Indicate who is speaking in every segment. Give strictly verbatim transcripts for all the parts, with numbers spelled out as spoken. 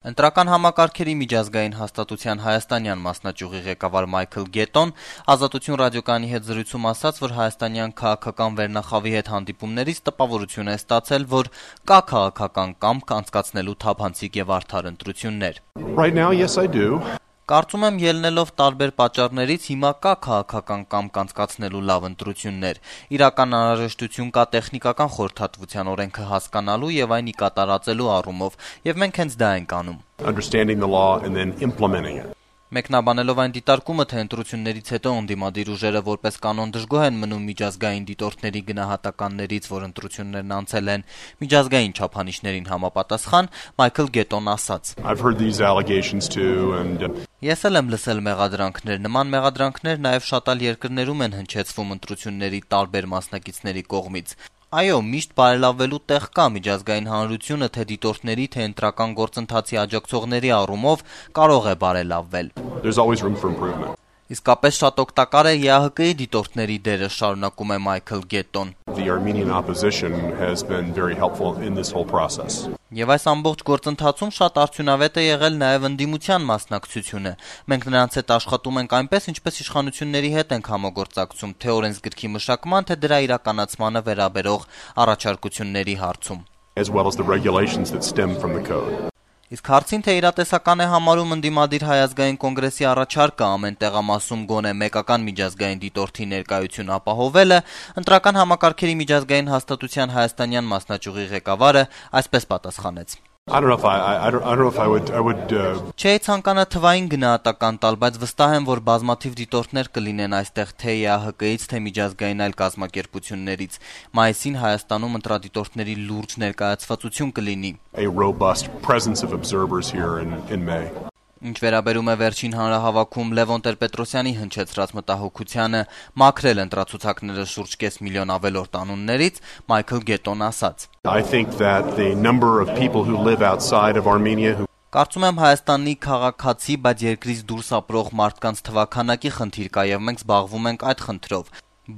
Speaker 1: Ընտրական համակարգերի միջազգային հաստատության հայաստանյան մասնաճյուղի ղեկավար Մայքլ Գետոն «Ազատություն» ռադիոկայանի հետ զրույցում ասաց, որ հայաստանյան քաղաքական վերնախավի հետ հանդիպումներից տպավորություն է ստացել, որ կա քաղաքական կամք անցկացնելու թափանցիկ եւ արդար ընտրություններ.
Speaker 2: Right now, yes, I do.
Speaker 1: Կարծում եմ, ելնելով տարբեր պատճառներից հիմա կա քաղաքական կամք անցկացնելու լավ ընտրություններ. իրական անհրաժեշտություն կա տեխնիկական խորհրդատվության օրենքը հասկանալու եւ այն ի կատարածելու առումով, եւ մենք հենց դա ենք անում.
Speaker 2: Understanding the law and then implementing it.
Speaker 1: Մեկնաբանելով այն դիտարկումը, թե ընտրություններից հետո ընդդիմադիր ուժերը որպես կանոն դժգոհ են մնում միջազգային դիտորդների գնահատականներից, որ ընտրություններն անցել են միջազգային չափանիշներին համապատասխան, Մայքլ Գետոն ասաց.
Speaker 2: I've heard these allegations too and
Speaker 1: Ես էլ եմ լսել մեղադրանքներ, նման մեղադրանքներ նաև շատ այլ երկրներում են հնչեցվում ընտրությունների տարբեր մասնակիցների կողմից. Այո, միշտ բարելավելու տեղ կա միջազգային հանրությունը թե դիտորդների, թե ընտրական գործընթացի աջակցողների առումով կարող է բարելավվել.
Speaker 2: There's always room for improvement.
Speaker 1: Իսկապես շատ օգտակար է ԵԱՀԿ-ի դիտորդների դերը, շարունակում է Մայքլ Գետոն.
Speaker 2: The Armenian opposition has been very helpful in this whole process.
Speaker 1: Եվ այս ամբողջ գործընթացում շատ արդյունավետ է եղել նաև ընդդիմության մասնակցությունը. Մենք նրանց հետ աշխատում ենք այնպես, ինչպես իշխանությունների հետ ենք համագործակցում, թե օրենսգրքի մշակման, թե դրա իրականացմանը վերաբերող առաջարկությունների հարցում.
Speaker 2: As well as the regulations that stem from the code.
Speaker 1: Իսկ հարցին, թե իրատեսական է համարում ընդդիմադիր Հայ ազգային կոնգրեսի առաջարկը ամեն տեղամասում գոնե մեկական միջազգային դիտորդի ներկայություն ապահովելը, ընտրական համակարգերի միջազգային հաստատության հայաստանյան մասնաճյուղի ղեկավարը այսպես պատասխանեց.
Speaker 2: I don't know if I I don't, I don't know if I would I would uh...
Speaker 1: Չէ, ցանկանա թվային գնահատական տալ, բայց վստահ եմ, որ բազմաթիվ դիտորդներ կլինեն այստեղ թե ԵԱՀԿ-ից, թե միջազգային այլ կազմակերպություններից. Մայիսին Հայաստանում ընտրադիտորդների լուրջ ներկայացվածություն կլինի.
Speaker 2: A robust presence of observers here in in May.
Speaker 1: Ինչ վերաբերում է վերջին հանրահավաքում Լևոն Տեր-Պետրոսյանի հնչեցրած մտահոգությանը մաքրել ընտրացուցակները շուրջ կես միլիոն ավելորդ անուններից, Մայքլ Գետոն ասաց.
Speaker 2: I think that the number of people who live outside of Armenia who
Speaker 1: Կարծում եմ Հայաստանի քաղաքացի, բայց երկրից դուրս ապրող մարդկանց թվաքանակի խնդիր կա եւ մենք զբաղվում ենք այդ խնդրով.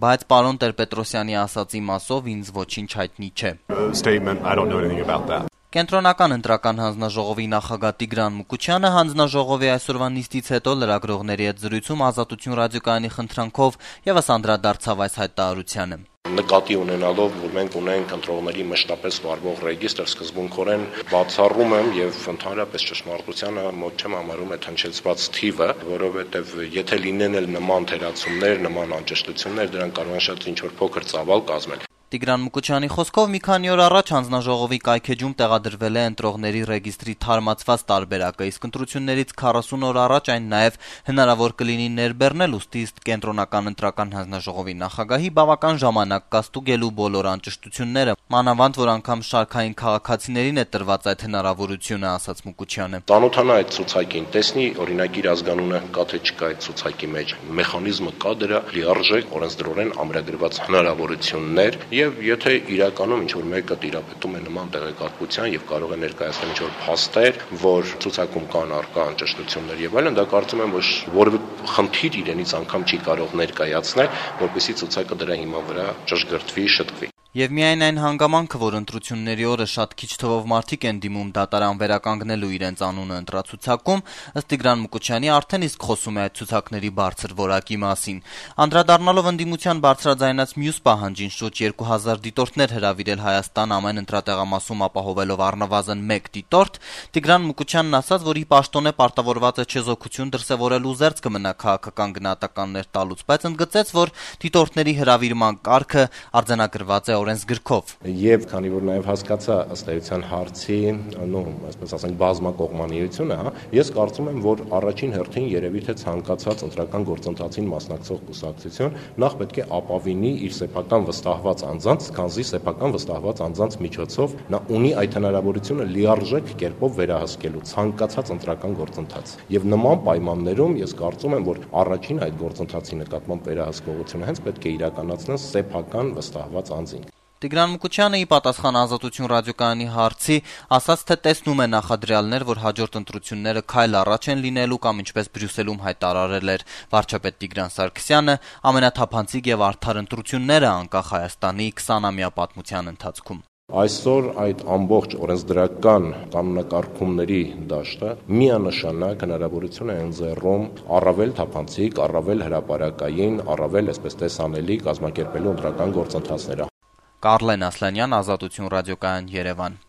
Speaker 1: Բայց պարոն Տեր-Պետրոսյանի ասացի մասով ինձ ոչինչ հայտնի չէ.
Speaker 2: Statement I don't know anything about that.
Speaker 1: Կենտրոնական ընտրական հանձնաժողովի նախագահ Տիգրան Մուկուչյանը հանձնաժողովի այսօրվա նիստից հետո լրագրողների հետ զրույցում Ազատություն ռադիոկայանի խնդրանքով եւս անդրադարձավ այս հայտարարությանը.
Speaker 3: Նկատի ունենալով, որ մենք ունենք ընտրողների մշտապես վարվող ռեգիստր, սկզբունքորեն բացառում եմ եւ ընդհանրապես ճշմարտությանը մոտ չեմ համարում այդ հնչեցված թիվը, որովհետեւ եթե լինեն էլ նման թերացումներ, նման անճշտություններ, դրանք կարող են շատ ինչ-որ փոքր ծավալ կազմել.
Speaker 1: Տիգրան Մուկուչյանի խոսքով մի քանի օր առաջ հանձնաժողովի կայքեջում տեղադրվել է ընտրողների ռեգիստրի թարմացված տարբերակը, իսկ ընտրություններից քառասուն օր առաջ այն նաև հնարավոր կլինի ներբեռնել, ուստի կենտրոնական ընտրական հանձնաժողովի նախագահի բավական ժամանակ կա ստուգելու բոլոր անճշտությունները, մանավանդ որ անգամ շարքային քաղաքացիներին է տրված այդ հնարավորությունը, ասաց Մուկուչյանը.
Speaker 3: Ծանոթանա այդ ցուցակին, տեսնի օրինակ իր ազգանունը կա թե չկա այդ ցուցակի մեջ, մեխանիզմը կա դրա լիարժեք օրենսդրորեն ամրագրված հնարավորություններ. Եվ եթե իրականում ինչ-որ մեկը տիրապետում է նման տեղեկատվության եւ կարող է ներկայացնել ինչ-որ փաստեր, որ ցուցակում կան առկա անճշտություններ եւ այլն, դա կարծում եմ, որ որևէ խնդիր իրենից անգամ չի կարող ներկայացնել, որպեսզի ցուցակը դրա հիման վրա ճշգրտվի, շտկվի.
Speaker 1: Եվ միայն այն հանգամանքը, որ ընտրությունների օրը շատ քիչ թվով մարդիկ են դիմում դատարան վերականգնելու իրենց անունը ընտրացուցակում, ըստ Տիգրան Մուկուչյանի արդեն իսկ խոսում է այդ ցուցակների բարձր որակի մասին. Անդրադառնալով ընդդիմության բարձրաձայնած մյուս պահանջին շուրջ երկու հազար դիտորդներ հրավիրել Հայաստան ամեն ընտրատեղամասում ապահովելով առնվազն մեկ դիտորդ, Տիգրան Մուկուչյանն ասաց, որ ի պաշտոնե պարտավորված է չեզոքություն դրսևորելու զերծ կմնա քաղաքական գնահատականներ տալուց, բայց ընդգծեց, որ դիտորդների հրավիրման կարգը արձանագրված է օրենսգրքով.
Speaker 4: Եվ քանի որ նաև հասկացա ըստ էության հարցի, նո, այսպես ասենք, բազմակողմանիությունը, հա, ես կարծում եմ, որ առաջին հերթին երևի թե ցանկացած ընտրական գործընթացին մասնակցող կուսակցություն նախ պետք է ապավինի իր սեփական վստահված անձանց, քանզի սեփական վստահված անձանց միջոցով նա ունի այդ հնարավորությունը լիարժեք կերպով վերահսկելու ցանկացած ընտրական գործընթաց։ Եվ նման պայմաններում ես կարծում եմ, որ առաջին այդ գործընթացի նկատմամբ վերահսկողությունը հենց պետք է իրականացնեն սեփական վստահված անձին։
Speaker 1: Տիգրան Մուկուչյանը ի պատասխան Ազատություն ռադիոկայանի հարցի ասաց, թե տեսնում է նախադրյալներ, որ հաջորդ ընտրությունները քայլ առաջ են լինելու կամ ինչպես Բրյուսելում հայտարարել էր վարչապետ Տիգրան Սարգսյանը, ամենաթափանցիկ եւ արդար ընտրությունները անկախ Հայաստանի քսանամյա պատմության ընթացքում։
Speaker 4: Այսօր այդ ամբողջ օրենսդրական կանոնակարգումների դաշտը միանշանակ հնարավորություն է ընձեռում առավել թափանցիկ, առավել հրապարակային, առավել այսպես տեսանելի կազմակերպելու ընտրական գործընթացները։
Speaker 1: Կարլեն Ասլանյան, Ազատություն ռադիոկայան, Երևան։